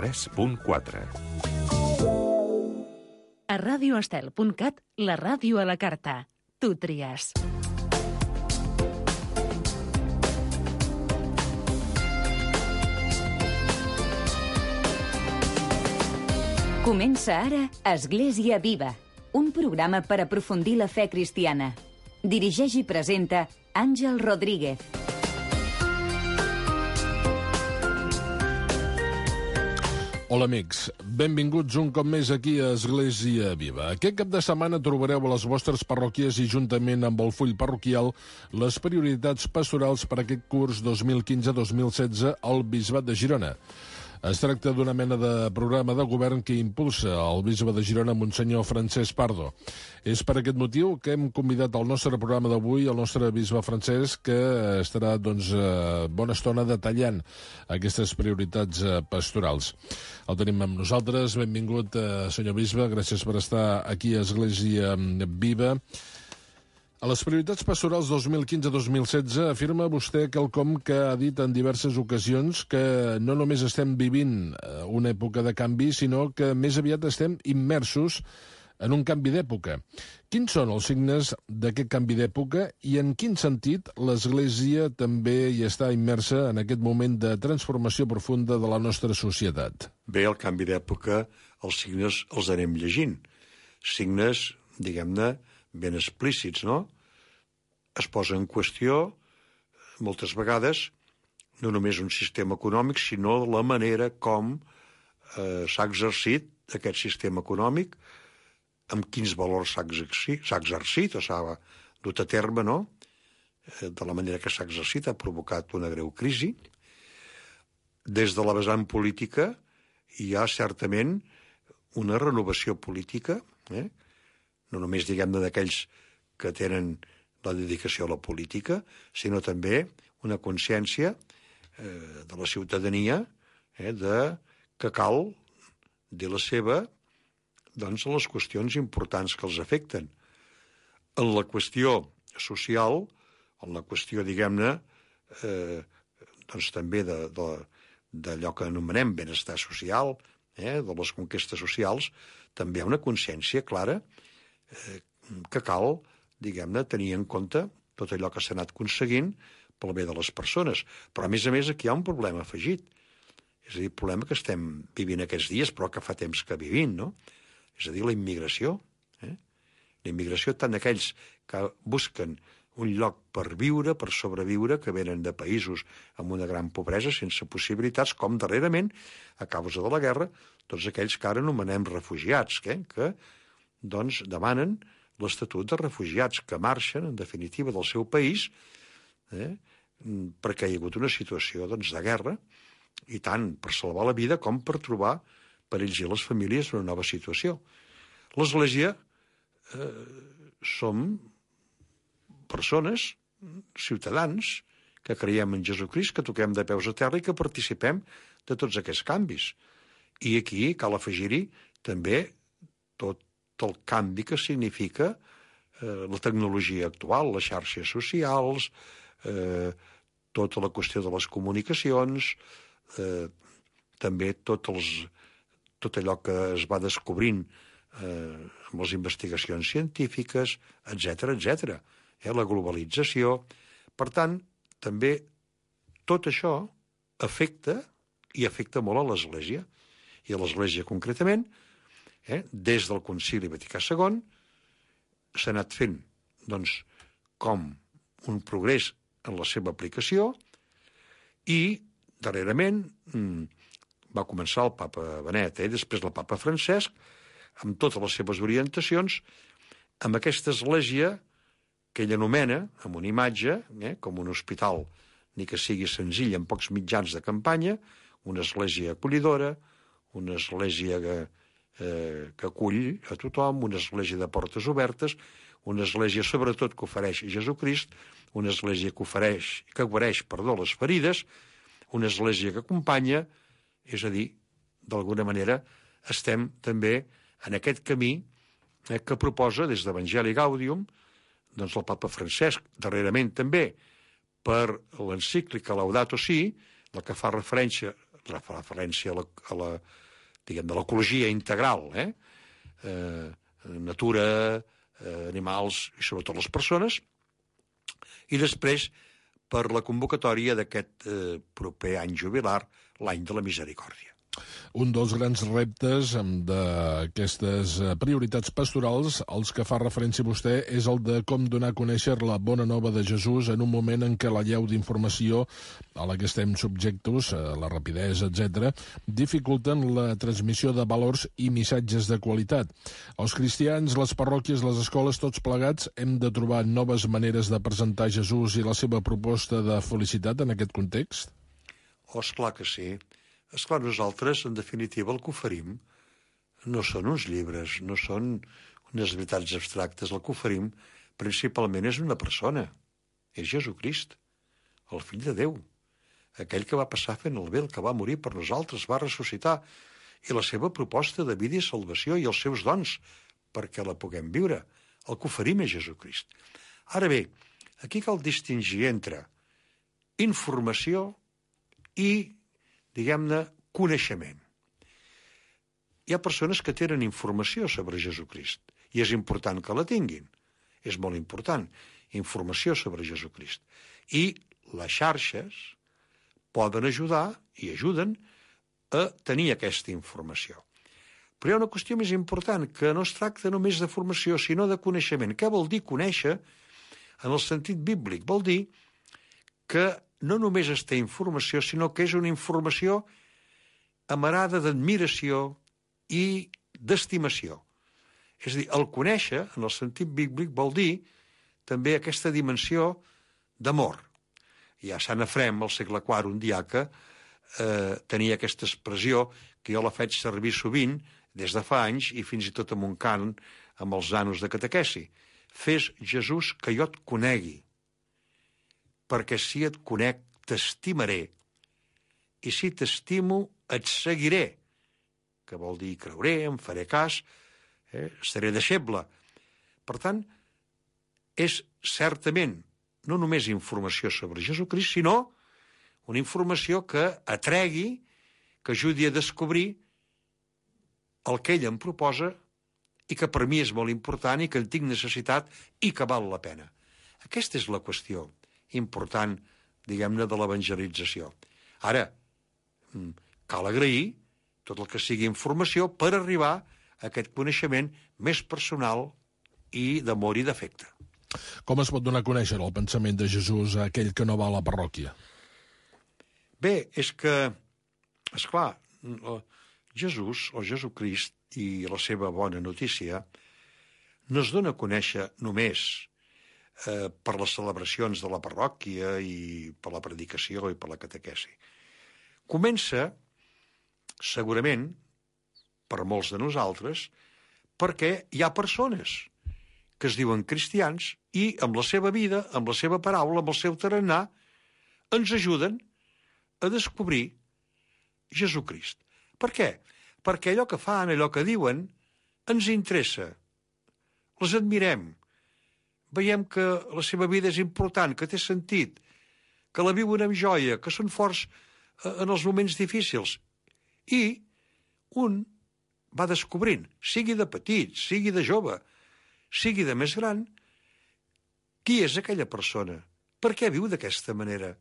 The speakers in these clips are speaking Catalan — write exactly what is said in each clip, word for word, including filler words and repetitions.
tres punt quatre. A radio estel punt cat, la ràdio a la carta. Tu tries. Comença ara Església Viva, un programa per aprofundir la fe cristiana. Dirigeix i presenta Àngel Rodríguez. Hola amics, benvinguts un cop més aquí a Església Viva. Aquest cap de setmana trobareu a les vostres parròquies i juntament amb el full parroquial les prioritats pastorals per aquest curs dos mil quinze dos mil setze al Bisbat de Girona. Es tracta d'una mena de programa de govern que impulsa el bisbe de Girona, Monsenyor Francesc Pardo. És per aquest motiu que hem convidat al nostre programa d'avui el nostre bisbe Francesc, que estarà doncs, bona estona detallant aquestes prioritats pastorals. El tenim amb nosaltres. Benvingut, senyor bisbe. Gràcies per estar aquí a Església Viva. A les prioritats pastorals dos mil quinze dos mil setze afirma vostè quelcom que ha dit en diverses ocasions, que no només estem vivint una època de canvi, sinó que més aviat estem immersos en un canvi d'època. Quins són els signes d'aquest canvi d'època i en quin sentit l'Església també hi està immersa en aquest moment de transformació profunda de la nostra societat? Bé, el canvi d'època, els signes els anem llegint. Signes, diguem-ne, ben explícits, no? Es posa en qüestió, moltes vegades, no només un sistema econòmic, sinó la manera com eh, s'ha exercit aquest sistema econòmic, amb quins valors s'ha exercit, s'ha exercit o s'ha dut a terme, no? Eh, de la manera que s'ha exercit ha provocat una greu crisi. Des de la vessant política hi ha certament una renovació política, eh? no només, diguem-ne, d'aquells que tenen la dedicació a la política, sinó també una consciència eh, de la ciutadania eh, de que cal dir la seva doncs, a les qüestions importants que els afecten. En la qüestió social, en la qüestió, diguem-ne, eh, doncs també de, de, d'allò que anomenem benestar social, eh, de les conquestes socials, també hi ha una consciència clara que cal, diguem-ne, tenir en compte tot allò que s'ha anat aconseguint pel bé de les persones. Però, a més a més, aquí hi ha un problema afegit. És a dir, el problema que estem vivint aquests dies, però que fa temps que vivim, no? És a dir, la immigració. Eh? La immigració, tant aquells que busquen un lloc per viure, per sobreviure, que venen de països amb una gran pobresa, sense possibilitats, com darrerament, a causa de la guerra, tots aquells que ara anomenem refugiats, eh? que doncs demanen l'estatut de refugiats, que marxen, en definitiva, del seu país, eh, perquè hi ha hagut una situació doncs, de guerra, i tant per salvar la vida com per trobar per ells i les famílies una nova situació. L'Església eh, som persones, ciutadans, que creiem en Jesucrist, que toquem de peus a terra i que participem de tots aquests canvis. I aquí cal afegir-hi també tot el canvi que significa eh, la tecnologia actual, les xarxes socials, eh, tota la qüestió de les comunicacions, eh, també tot, els, tot allò que es va descobrint eh, amb les investigacions científiques, etcètera, etcètera. Eh, la globalització. Per tant, també tot això afecta i afecta molt a l'Església. I a l'Església concretament, Eh? des del Concili Vaticà segon s'ha anat fent doncs, com un progrés en la seva aplicació i darrerament mmm, va començar el papa Benet, eh? després el papa Francesc, amb totes les seves orientacions, amb aquesta església que ell anomena, amb una imatge, eh? com un hospital, ni que sigui senzill, amb pocs mitjans de campanya, una església acollidora, una església que Eh, que acull a tothom, una església de portes obertes, una església sobretot que ofereix Jesucrist, una església que ofereix, que guareix, perdó, les ferides, una església que acompanya, és a dir, d'alguna manera estem també en aquest camí eh, que proposa des d'Evangeli Gaudium, doncs el papa Francesc, darrerament també per l'encíclica Laudato Si, la que fa referència la referència a la, a la diguem, de l'ecologia integral, eh? Eh, natura, eh, animals i sobretot les persones, i després per la convocatòria d'aquest eh, proper any jubilar, l'any de la misericòrdia. Un dels grans reptes d'aquestes prioritats pastorals, als que fa referència vostè, és el de com donar a conèixer la bona nova de Jesús en un moment en què la llau d'informació a la que estem subjectos, la rapidesa, etcètera, dificulten la transmissió de valors i missatges de qualitat. Els cristians, les parròquies, les escoles, tots plegats, hem de trobar noves maneres de presentar Jesús i la seva proposta de felicitat en aquest context? Oh, esclar que sí. Esclar, nosaltres, en definitiva, el que oferim no són uns llibres, no són unes veritats abstractes. El que oferim, principalment, és una persona. És Jesucrist, el fill de Déu, aquell que va passar fent el bé, el que va morir per nosaltres, va ressuscitar, i la seva proposta de vida i salvació i els seus dons perquè la puguem viure. El que oferim és Jesucrist. Ara bé, aquí cal distingir entre informació i, diguem-ne, coneixement. Hi ha persones que tenen informació sobre Jesucrist i és important que la tinguin. És molt important, informació sobre Jesucrist. I les xarxes poden ajudar i ajuden a tenir aquesta informació. Però hi ha una qüestió més important, que no es tracta només de formació, sinó de coneixement. Què vol dir conèixer en el sentit bíblic? Vol dir que no només es té informació, sinó que és una informació amarada d'admiració i d'estimació. És a dir, el conèixer, en el sentit bíblic, vol dir també aquesta dimensió d'amor. Ja Sant Efrem, al segle quart, un diaca, eh, tenia aquesta expressió que jo la faig servir sovint, des de fa anys, i fins i tot amb un cant amb els nanos de catequesi. Fes, Jesús, que jo et conegui, perquè si et conec, t'estimaré, i si t'estimo, et seguiré, que vol dir creuré, em faré cas, eh, seré deixeble. Per tant, és certament no només informació sobre Jesucrist, sinó una informació que atregui, que ajudi a descobrir el que ell em proposa i que per mi és molt important i que en tinc necessitat i que val la pena. Aquesta és la qüestió important, diguem-ne, de l'evangelització. Ara, cal agrair tot el que sigui informació per arribar a aquest coneixement més personal i d'amor i d'afecte. Com es pot donar a conèixer el pensament de Jesús a aquell que no va a la parròquia? Bé, és que, esclar, Jesús, o Jesucrist, i la seva bona notícia, no es dona a conèixer només eh, per les celebracions de la parròquia i per la predicació i per la catequesi. Comença, segurament, per molts de nosaltres, perquè hi ha persones que es diuen cristians i amb la seva vida, amb la seva paraula, amb el seu tarannà, ens ajuden a descobrir Jesucrist. Per què? Perquè allò que fan, allò que diuen, ens interessa. Les admirem. Veiem que la seva vida és important, que té sentit, que la viuen amb joia, que són forts en els moments difícils. I un va descobrint, sigui de petit, sigui de jove, sigui de més gran, qui és aquella persona? Per què viu d'aquesta manera?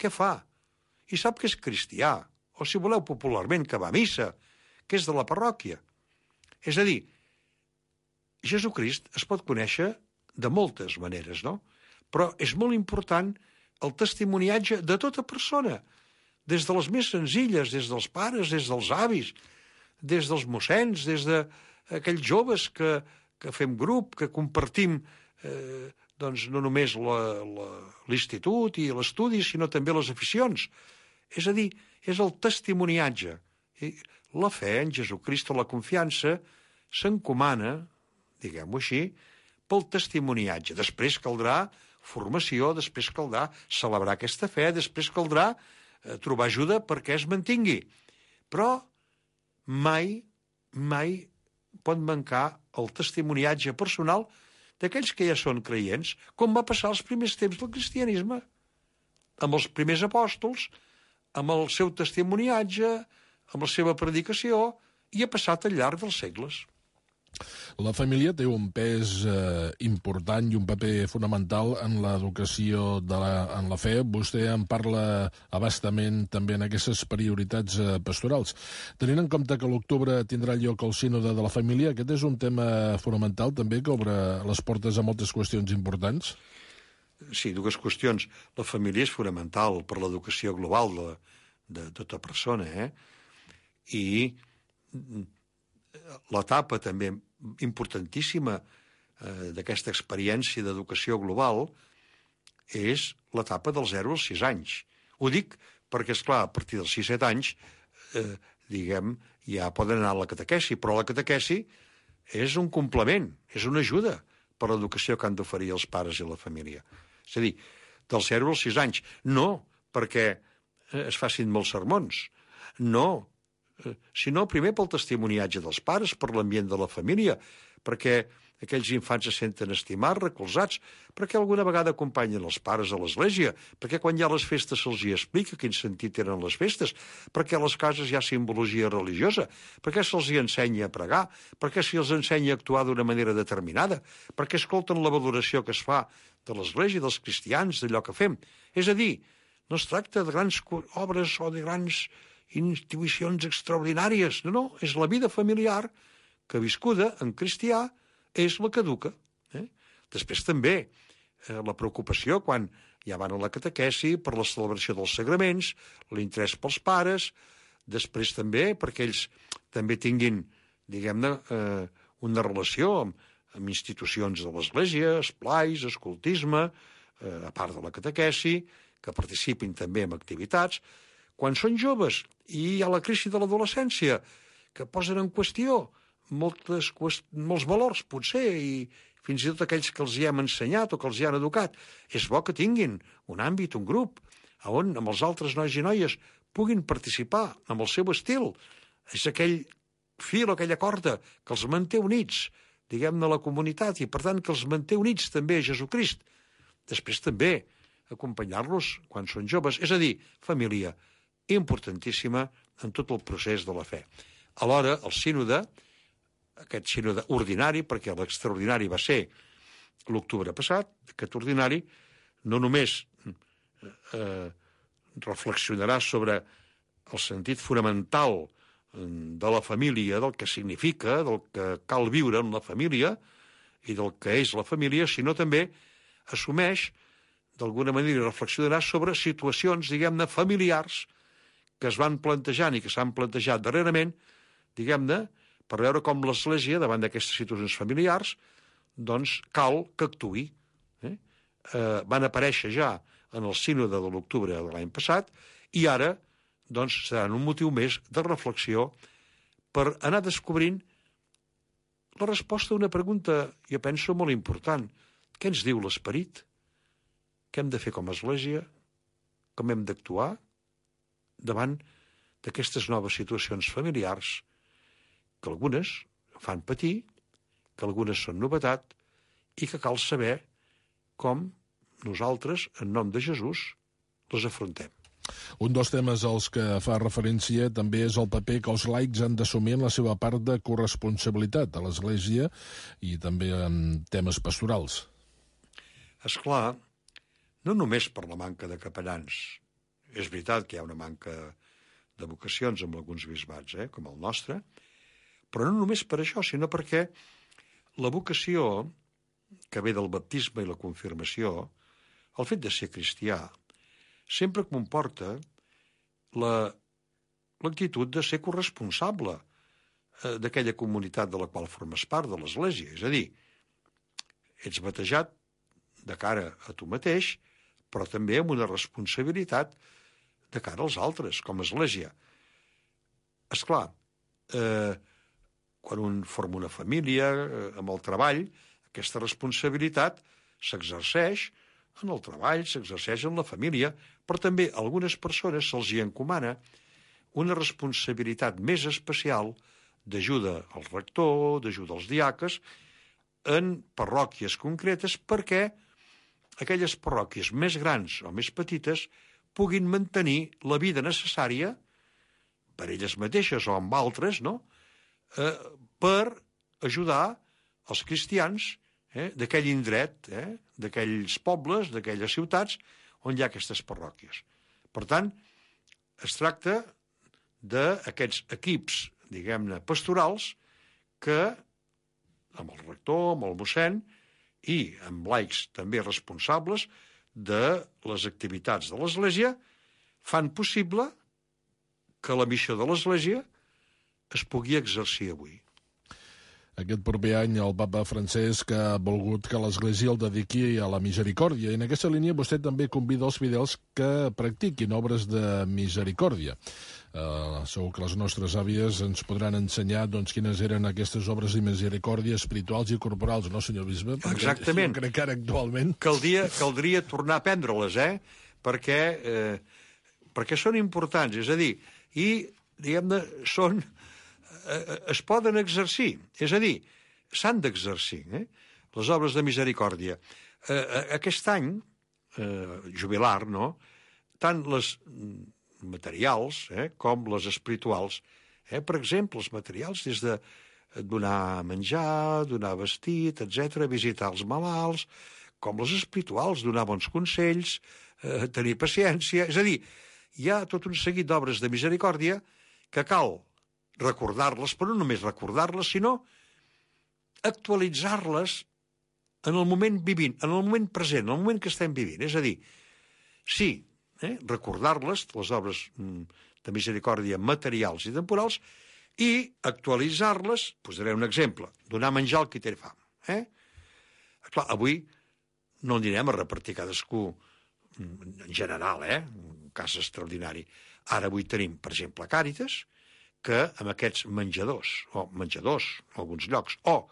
Què fa? I sap que és cristià, o si voleu popularment, que va a missa, que és de la parròquia. És a dir, Jesucrist es pot conèixer de moltes maneres, no? Però és molt important el testimoniatge de tota persona, des de les més senzilles, des dels pares, des dels avis, des dels mossens, des d'aquells joves que, que fem grup, que compartim eh, doncs no només l'institut i l'estudi, sinó també les aficions. És a dir, és el testimoniatge. I la fe en Jesucrist, la confiança, s'encomana, diguem-ho així, pel testimoniatge. Després caldrà formació, després caldrà celebrar aquesta fe, després caldrà eh, trobar ajuda perquè es mantingui. Però mai, mai pot mancar el testimoniatge personal d'aquells que ja són creients, com va passar als primers temps del cristianisme, amb els primers apòstols, amb el seu testimoniatge, amb la seva predicació, i ha passat al llarg dels segles. La família té un pes eh, important i un paper fonamental en l'educació de la, en la fe. Vostè en parla abastament també en aquestes prioritats eh, pastorals. Tenint en compte que a l'octubre tindrà lloc el sínode de la família, aquest és un tema fonamental també que obre les portes a moltes qüestions importants? Sí, dues qüestions. La família és fonamental per l'educació global de, de tota persona, eh? I l'etapa també importantíssima eh, d'aquesta experiència d'educació global és l'etapa dels zero als sis anys. Ho dic perquè, esclar, a partir dels sis set anys, eh, diguem, ja poden anar a la catequesi, però la catequesi és un complement, és una ajuda per a l'educació que han d'oferir els pares i la família. És a dir, dels zero als sis anys, no perquè es facin molts sermons, no, sinó primer pel testimoniatge dels pares, per l'ambient de la família, perquè aquells infants se senten estimats, recolzats, perquè alguna vegada acompanyen els pares a l'església, perquè quan hi ha les festes se'ls hi explica quin sentit tenen les festes, perquè a les cases hi ha simbologia religiosa, perquè se'ls hi ensenya a pregar, perquè se'ls ensenya a actuar d'una manera determinada, perquè escolten la valoració que es fa de l'església, dels cristians, d'allò que fem. És a dir, no es tracta de grans obres o de grans intuïcions extraordinàries. No, no, és la vida familiar que viscuda en cristià és la que educa. Eh? Després també eh, la preocupació quan ja van a la catequesi per la celebració dels sagraments, l'interès pels pares, després també perquè ells també tinguin, diguem-ne, eh, una relació amb, amb institucions de l'Església, esplais, escoltisme, eh, a part de la catequesi, que participin també en activitats. Quan són joves i hi ha la crisi de l'adolescència, que posen en qüestió moltes, molts valors, potser, i fins i tot aquells que els hi hem ensenyat o que els hi han educat, és bo que tinguin un àmbit, un grup, on amb els altres nois i noies puguin participar amb el seu estil. És aquell fil o aquella corda que els manté units, diguem-ne, a la comunitat, i per tant que els manté units també a Jesucrist. Després també acompanyar-los quan són joves, és a dir, família importantíssima en tot el procés de la fe. Alhora, el sínode, aquest sínode ordinari, perquè l'extraordinari va ser l'octubre passat, aquest ordinari no només eh, reflexionarà sobre el sentit fonamental de la família, del que significa, del que cal viure en la família i del que és la família, sinó també assumeix, d'alguna manera reflexionarà sobre situacions, diguem-ne, familiars que es van plantejant i que s'han plantejat darrerament, diguem-ne, per veure com l'Església, davant d'aquestes situacions familiars, doncs cal que actuï. Eh? Eh, van aparèixer ja en el sínode de l'octubre de l'any passat i ara doncs, seran un motiu més de reflexió per anar descobrint la resposta a una pregunta, jo penso, molt important. Què ens diu l'Esperit? Què hem de fer com a Església? Com hem d'actuar davant d'aquestes noves situacions familiars que algunes fan patir, que algunes són novetat i que cal saber com nosaltres, en nom de Jesús, les afrontem. Un dels temes als que fa referència també és el paper que els laics han d'assumir en la seva part de corresponsabilitat a l'Església i també en temes pastorals. Esclar, no només per la manca de capellans. És veritat que hi ha una manca de vocacions amb alguns bisbats, eh, com el nostre, però no només per això, sinó perquè la vocació que ve del baptisme i la confirmació, el fet de ser cristià, sempre comporta l'actitud de ser corresponsable eh, d'aquella comunitat de la qual formes part, de l'Església. És a dir, ets batejat de cara a tu mateix, però també amb una responsabilitat de cara als altres, com a Església. Esclar, eh, quan un forma una família, eh, amb el treball, aquesta responsabilitat s'exerceix en el treball, s'exerceix en la família, però també a algunes persones se'ls hi encomana una responsabilitat més especial d'ajuda al rector, d'ajuda als diaques, en parròquies concretes, perquè aquelles parròquies més grans o més petites puguin mantenir la vida necessària per elles mateixes o amb altres, no? eh, per ajudar els cristians eh, d'aquell indret, eh, d'aquells pobles, d'aquelles ciutats on hi ha aquestes parròquies. Per tant, es tracta d'aquests equips, diguem-ne, pastorals que, amb el rector, amb el mossèn i amb laics també responsables de les activitats de l'Església, fan possible que la missió de l'Església es pugui exercir avui. Aquest proper any el papa Francesc ha volgut que l'Església el dediqui a la misericòrdia i en aquesta línia vostè també convida els fidels que practiquin obres de misericòrdia. Uh, segur que les nostres àvies ens podran ensenyar doncs, quines eren aquestes obres de misericòrdia espirituals i corporals, no, senyor bisbe? Perquè exactament. Jo crec que ara actualment... Caldria, caldria tornar a prendre-les, eh? Perquè, eh, perquè són importants, és a dir, i, diguem-ne, són... Eh, es poden exercir, és a dir, s'han d'exercir, eh? Les obres de misericòrdia. Eh, aquest any, eh, jubilar, no?, tant les materials eh, com les espirituals. Eh? Per exemple, els materials des de donar menjar, donar vestit, etcètera, visitar els malalts, com les espirituals, donar bons consells, eh, tenir paciència... És a dir, hi ha tot un seguit d'obres de misericòrdia que cal recordar-les, però no només recordar-les, sinó actualitzar-les en el moment vivint, en el moment present, en el moment que estem vivint. És a dir, sí, eh, recordar-les, les obres de misericòrdia materials i temporals, i actualitzar-les, posaré un exemple, donar menjar al qui té fam. Eh? Clar, avui no anirem a repartir cadascú en general, eh? Un cas extraordinari. Ara avui tenim, per exemple, Càritas, que amb aquests menjadors, o menjadors en alguns llocs, o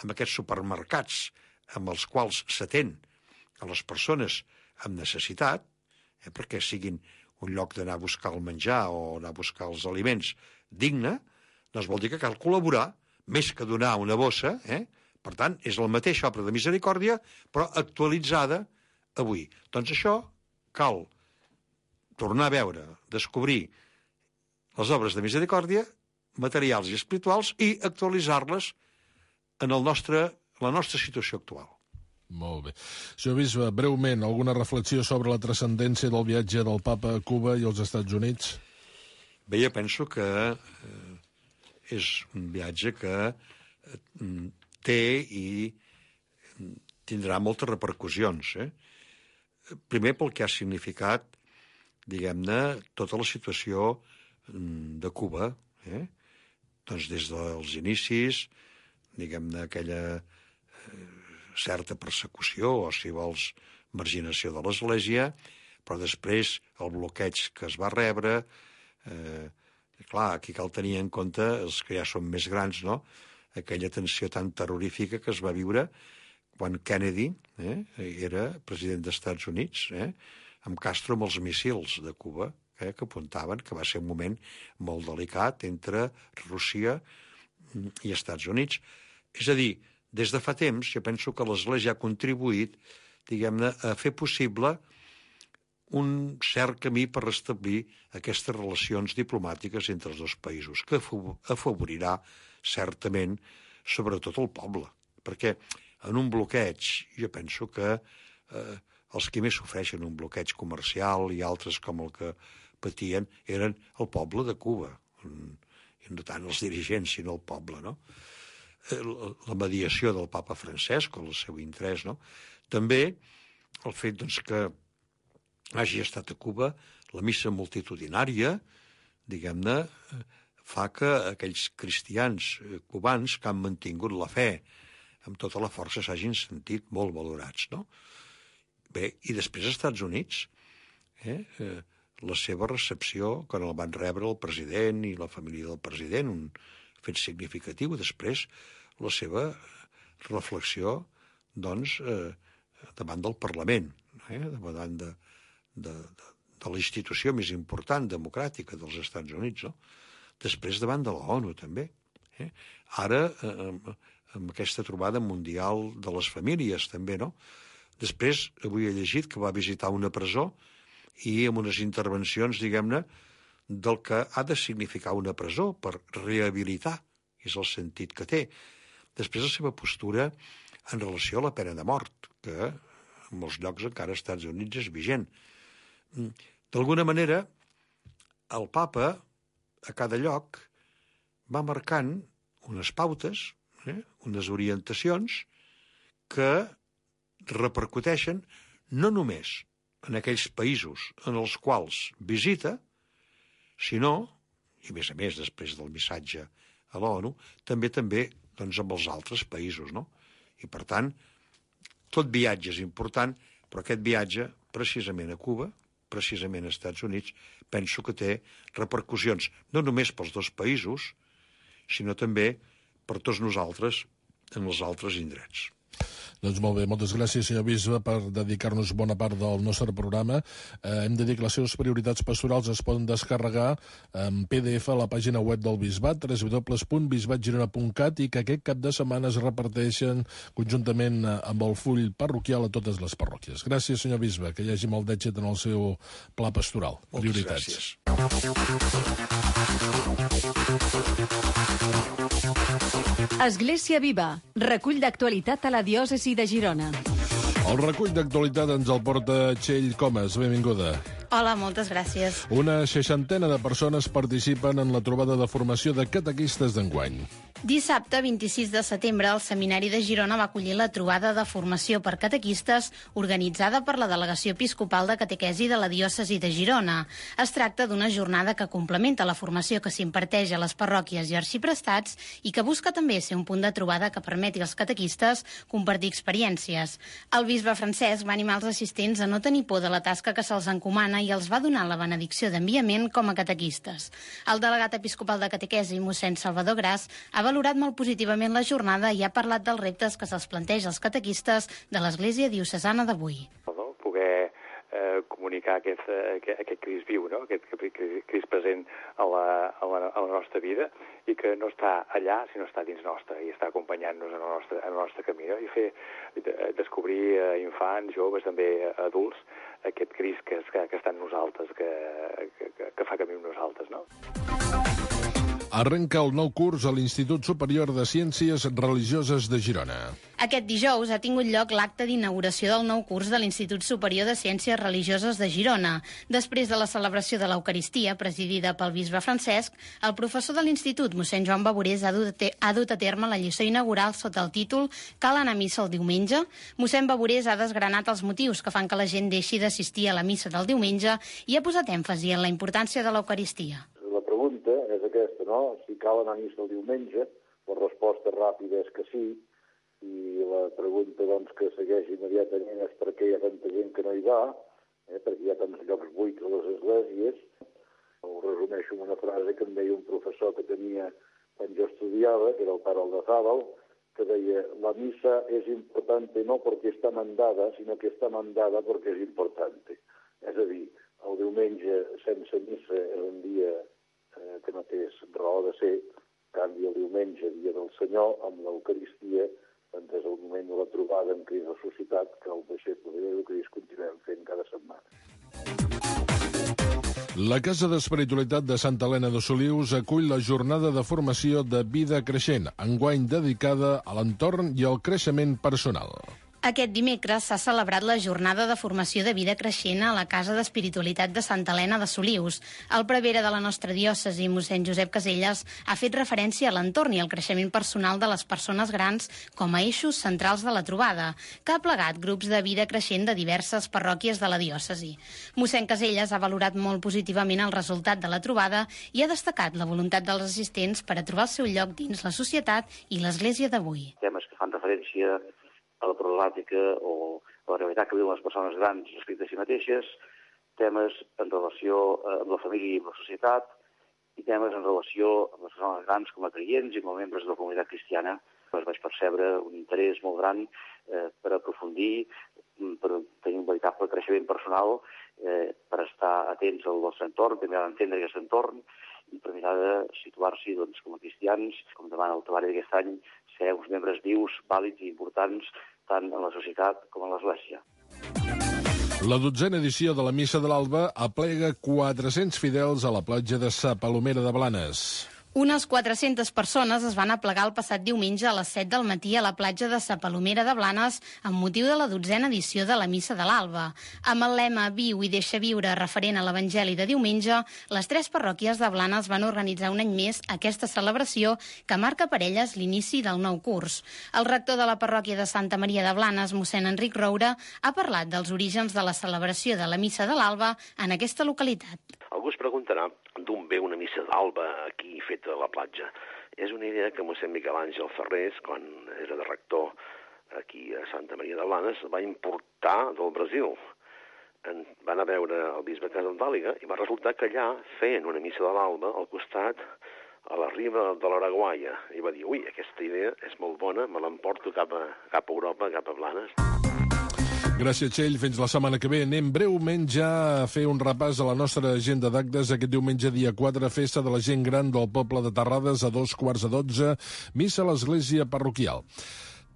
amb aquests supermercats amb els quals s'atén a les persones amb necessitat, eh, perquè siguin un lloc d'anar a buscar el menjar o anar a buscar els aliments digne, doncs vol dir que cal col·laborar, més que donar una bossa, eh? Per tant, és la mateixa obra de misericòrdia, però actualitzada avui. Doncs això cal tornar a veure, descobrir les obres de misericòrdia, materials i espirituals, i actualitzar-les en el nostre, la nostra situació actual. Molt bé. Senyor bisbe, breument, alguna reflexió sobre la transcendència del viatge del papa a Cuba i als Estats Units? Bé, jo penso que eh, és un viatge que eh, té i tindrà moltes repercussions. Eh? Primer pel que ha significat, diguem-ne, tota la situació de Cuba, eh? Doncs des dels inicis, diguem-ne, aquella eh, certa persecució, o si vols, marginació de l'Església, però després el bloqueig que es va rebre, eh, clar, aquí cal tenir en compte els que ja són més grans, no?, aquella tensió tan terrorífica que es va viure quan Kennedy eh, era president dels Estats Units, eh, amb Castro amb els míssils de Cuba, eh, que apuntaven que va ser un moment molt delicat entre Rússia i Estats Units. És a dir, des de fa temps, jo penso que l'Església ha contribuït, diguem-ne, a fer possible un cert camí per restablir aquestes relacions diplomàtiques entre els dos països, que afavorirà certament sobretot el poble, perquè en un bloqueig jo penso que eh, els que més sofreixen un bloqueig comercial i altres com el que patien eren el poble de Cuba, i no tant els dirigents sinó el poble, no? La mediació del papa Francesc, o el seu interès, no? També el fet doncs, que hagi estat a Cuba la missa multitudinària, diguem-ne, fa que aquells cristians cubans que han mantingut la fe amb tota la força s'hagin sentit molt valorats, no? Bé, i després als Estats Units, eh, eh, la seva recepció, quan el van rebre el president i la família del president, un fet significatiu, després la seva reflexió, doncs, eh, davant del Parlament, eh, davant de, de, de, de la institució més important democràtica dels Estats Units, no? Després davant de la ONU, també. Eh? Ara, eh, amb aquesta trobada mundial de les famílies, també, no? Després, avui he llegit que va visitar una presó i amb unes intervencions, diguem-ne, del que ha de significar una presó per rehabilitar, és el sentit que té. Després la seva postura en relació a la pena de mort, que en molts llocs encara als Estats Units és vigent. D'alguna manera, el papa, a cada lloc, va marcant unes pautes, eh, unes orientacions que repercuteixen no només en aquells països en els quals visita, sinó, i a més a més després del missatge a l'ONU, també també doncs, amb els altres països, no? I per tant, tot viatge és important, però aquest viatge, precisament a Cuba, precisament als Estats Units, penso que té repercussions no només pels dos països, sinó també per tots nosaltres en els altres indrets. Doncs molt bé, moltes gràcies, senyor bisbe, per dedicar-nos bona part del nostre programa. Eh, hem de dir que les seves prioritats pastorals es poden descarregar en P D F a la pàgina web del Bisbat, w w w punt bisbat girona punt cat, i que aquest cap de setmana es reparteixen conjuntament amb el full parroquial a totes les parròquies. Gràcies, senyor bisbe, que hi hagi molt d'èxit en el seu pla pastoral. Moltes prioritats. gràcies. Església Viva, recull d'actualitat a la diòcesi de Girona. El recull d'actualitat ens el porta Txell Comas. Benvinguda. Hola, moltes gràcies. Una seixantena de persones participen en la trobada de formació de catequistes d'enguany. Dissabte, vint-i-sis de setembre, el Seminari de Girona va acollir la trobada de formació per catequistes organitzada per la Delegació Episcopal de Catequesi de la Diòcesi de Girona. Es tracta d'una jornada que complementa la formació que s'imparteix a les parròquies i arxiprestats i que busca també ser un punt de trobada que permeti als catequistes compartir experiències. El bisbe Francesc va animar els assistents a no tenir por de la tasca que se'ls encomana i els va donar la benedicció d'enviament com a catequistes. El delegat episcopal de catequesi, mossèn Salvador Gras, ha valorat molt positivament la jornada i ha parlat dels reptes que se'ls planteja als catequistes de l'Església Diocesana d'avui. No? Poder eh, comunicar aquest, aquest, aquest Crist viu, no? Aquest Crist present a la, a, la, a la nostra vida i que no està allà, sinó està dins nostra i està acompanyant-nos en el nostre, en el nostre camí, no? I fer, descobrir a infants, joves, també adults, aquest Crist que, que, que està en nosaltres, que, que, que fa camí amb nosaltres, no? Arrenca el nou curs a l'Institut Superior de Ciències Religioses de Girona. Aquest dijous ha tingut lloc l'acte d'inauguració del nou curs de l'Institut Superior de Ciències Religioses de Girona. Després de la celebració de l'Eucaristia, presidida pel bisbe Francesc, el professor de l'Institut, mossèn Joan Bavorés, ha dut, ha dut a terme la lliçó inaugural sota el títol «Cal anar a missa el diumenge?». Mossèn Bavorés ha desgranat els motius que fan que la gent deixi d'assistir a la missa del diumenge i ha posat èmfasi en la importància de l'Eucaristia. La pregunta és aquesta, no? Si cal anar a missa el diumenge, la resposta ràpida és que sí, i la pregunta doncs, que segueix immediatament és per què hi ha tanta gent que no hi va, eh? Perquè hi ha tants llocs buits a les esglésies. Ho resumeixo amb una frase que em deia un professor que tenia quan jo estudiava, que era el pare Aldazábal, que deia, la missa és importante no perquè està mandada, sinó que està mandada perquè és importante. És a dir, el diumenge sense missa és un dia eh, que no té raó de ser, en canvi el diumenge, dia del Senyor, amb l'Eucaristia, doncs és el moment de la trobada amb Crist ressuscitat que el deixeble de Crist continuem fent cada setmana. La Casa d'Espiritualitat de Santa Helena de Solius acull la jornada de formació de vida creixent, enguany dedicada a l'entorn i al creixement personal. Aquest dimecres s'ha celebrat la jornada de formació de vida creixent a la Casa d'Espiritualitat de Santa Helena de Solius. El prevere de la nostra diòcesi, mossèn Josep Caselles, ha fet referència a l'entorn i al creixement personal de les persones grans com a eixos centrals de la trobada, que ha plegat grups de vida creixent de diverses parròquies de la diòcesi. Mossèn Caselles ha valorat molt positivament el resultat de la trobada i ha destacat la voluntat dels assistents per a trobar el seu lloc dins la societat i l'Església d'avui. Temes que fan referència a la problemàtica o a la realitat que viuen les persones grans respecte a si mateixes, temes en relació amb la família i amb la societat, i temes en relació amb les persones grans com a creients i com a membres de la comunitat cristiana. Pues vaig percebre un interès molt gran eh, per aprofundir, per tenir un veritable creixement personal, eh, per estar atents al nostre entorn, també a entendre aquest entorn, i per mirar de situar-s'hi doncs, com a cristians, com demana el temari d'aquest any, ser uns membres vius, vàlids i importants tant en la societat com en l'Església. La dotzena edició de la Missa de l'Alba aplega quatre-cents fidels a la platja de Sa Palomera de Blanes. Unes quatre-centes persones es van aplegar el passat diumenge a les set del matí a la platja de Sa Palomera de Blanes amb motiu de la dotzena edició de la Missa de l'Alba. Amb el lema Viu i deixa viure referent a l'Evangeli de diumenge, les tres parròquies de Blanes van organitzar un any més aquesta celebració que marca per elles l'inici del nou curs. El rector de la parròquia de Santa Maria de Blanes, mossèn Enric Roure, ha parlat dels orígens de la celebració de la Missa de l'Alba en aquesta localitat. Algú es preguntarà d'on ve una missa d'alba aquí feta a la platja. És una idea que mossèn Miquel Àngel Ferrés, quan era de rector aquí a Santa Maria de Blanes, va importar del Brasil. En van a veure el bisbe Casaldàliga i va resultar que allà feien una missa de l'alba al costat, a la riba de l'Araguaia. I va dir, ui, aquesta idea és molt bona, me l'emporto cap a, cap a Europa, cap a Blanes. Gràcies, Txell. Fins la setmana que ve. Anem breument ja a fer un repàs a la nostra agenda d'actes. Aquest diumenge, dia quatre, festa de la gent gran del poble de Terrades a dos quarts de dotze, missa a l'església parroquial.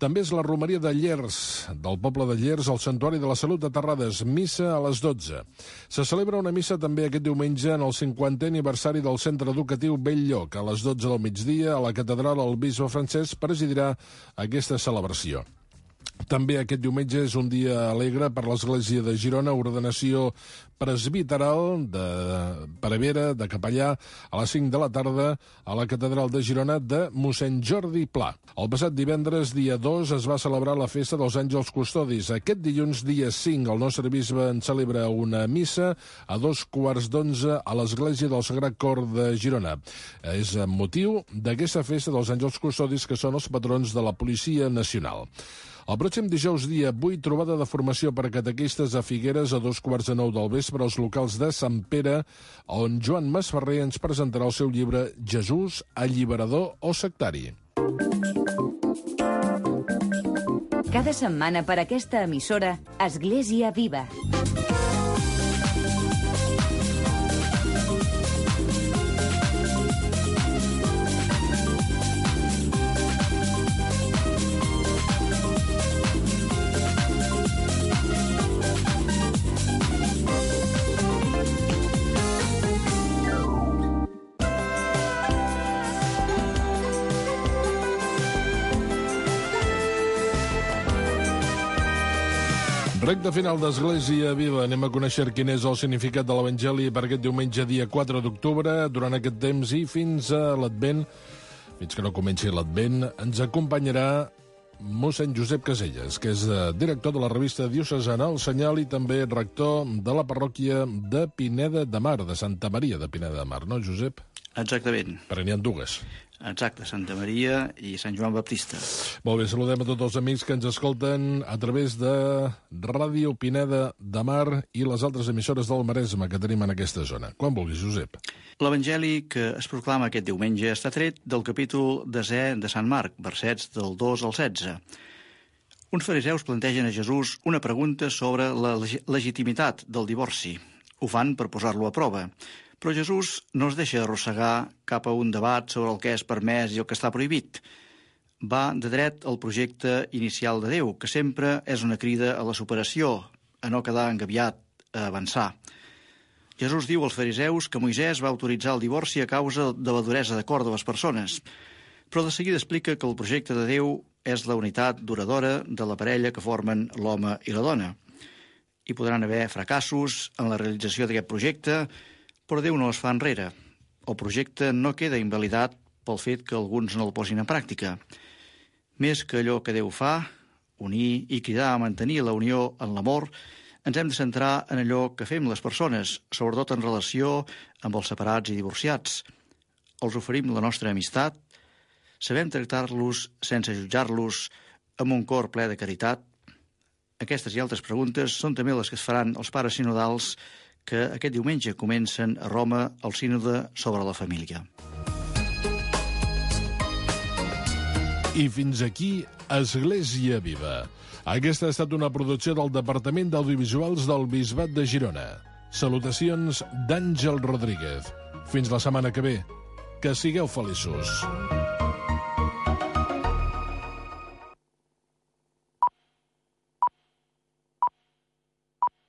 També és la romeria de Llers, del poble de Llers, al Santuari de la Salut de Terrades, missa a les dotze. Se celebra una missa també aquest diumenge en el cinquantè aniversari del Centre Educatiu Bell-lloc. A les dotze del migdia, a la catedral, el bisbe Francesc presidirà aquesta celebració. També aquest diumenge és un dia alegre per l'Església de Girona, ordenació presbiteral de prevera, de capellà, a les cinc de la tarda a la catedral de Girona de mossèn Jordi Pla. El passat divendres, dia dos, es va celebrar la festa dels Àngels Custodis. Aquest dilluns, dia cinc, el nostre bisbe en celebra una missa a dos quarts d'onze a l'Església del Sagrat Cor de Girona. És amb motiu d'aquesta festa dels Àngels Custodis, que són els patrons de la Policia Nacional. El pròxim dijous, dia vuit, trobada de formació per a catequistes a Figueres a dos quarts de nou del vespre als locals de Sant Pere, on Joan Masferrer ens presentarà el seu llibre Jesús, alliberador o sectari. Cada setmana per aquesta emissora, Església Viva. Recte final d'Església Viva. Anem a conèixer quin és el significat de l'Evangeli per aquest diumenge, dia quatre d'octubre. Durant aquest temps i fins a l'Advent, fins que no comenci l'Advent, ens acompanyarà mossèn Josep Caselles, que és director de la revista diocesana El Senyal i també rector de la parròquia de Pineda de Mar, de Santa Maria de Pineda de Mar, no, Josep? Exactament. Però n'hi ha dues. Exacte, Santa Maria i Sant Joan Baptista. Molt bé, saludem a tots els amics que ens escolten a través de Ràdio Pineda de Mar i les altres emissores del Maresme que tenim en aquesta zona. Quan vulguis, Josep. L'Evangeli que es proclama aquest diumenge està tret del capítol desè de Sant Marc, versets del dos al setze. Uns fariseus plantegen a Jesús una pregunta sobre la leg- legitimitat del divorci. Ho fan per posar-lo a prova. Però Jesús no es deixa arrossegar cap a un debat sobre el que és permès i el que està prohibit. Va de dret al projecte inicial de Déu, que sempre és una crida a la superació, a no quedar engabiat, a avançar. Jesús diu als fariseus que Moisès va autoritzar el divorci a causa de la duresa de cor de les persones, però de seguida explica que el projecte de Déu és la unitat duradora de la parella que formen l'home i la dona. Hi podran haver fracassos en la realització d'aquest projecte, però Déu no es fa enrere. El projecte no queda invalidat pel fet que alguns no el posin en pràctica. Més que allò que Déu fa, unir i cridar a mantenir la unió en l'amor, ens hem de centrar en allò que fem les persones, sobretot en relació amb els separats i divorciats. Els oferim la nostra amistat, sabem tractar-los sense jutjar-los amb un cor ple de caritat. Aquestes i altres preguntes són també les que es faran els pares sinodals que aquest diumenge comencen a Roma el sínode sobre la família. I fins aquí Església Viva. Aquesta ha estat una producció del Departament d'Audiovisuals del Bisbat de Girona. Salutacions d'Àngel Rodríguez. Fins la setmana que ve. Que sigueu feliços.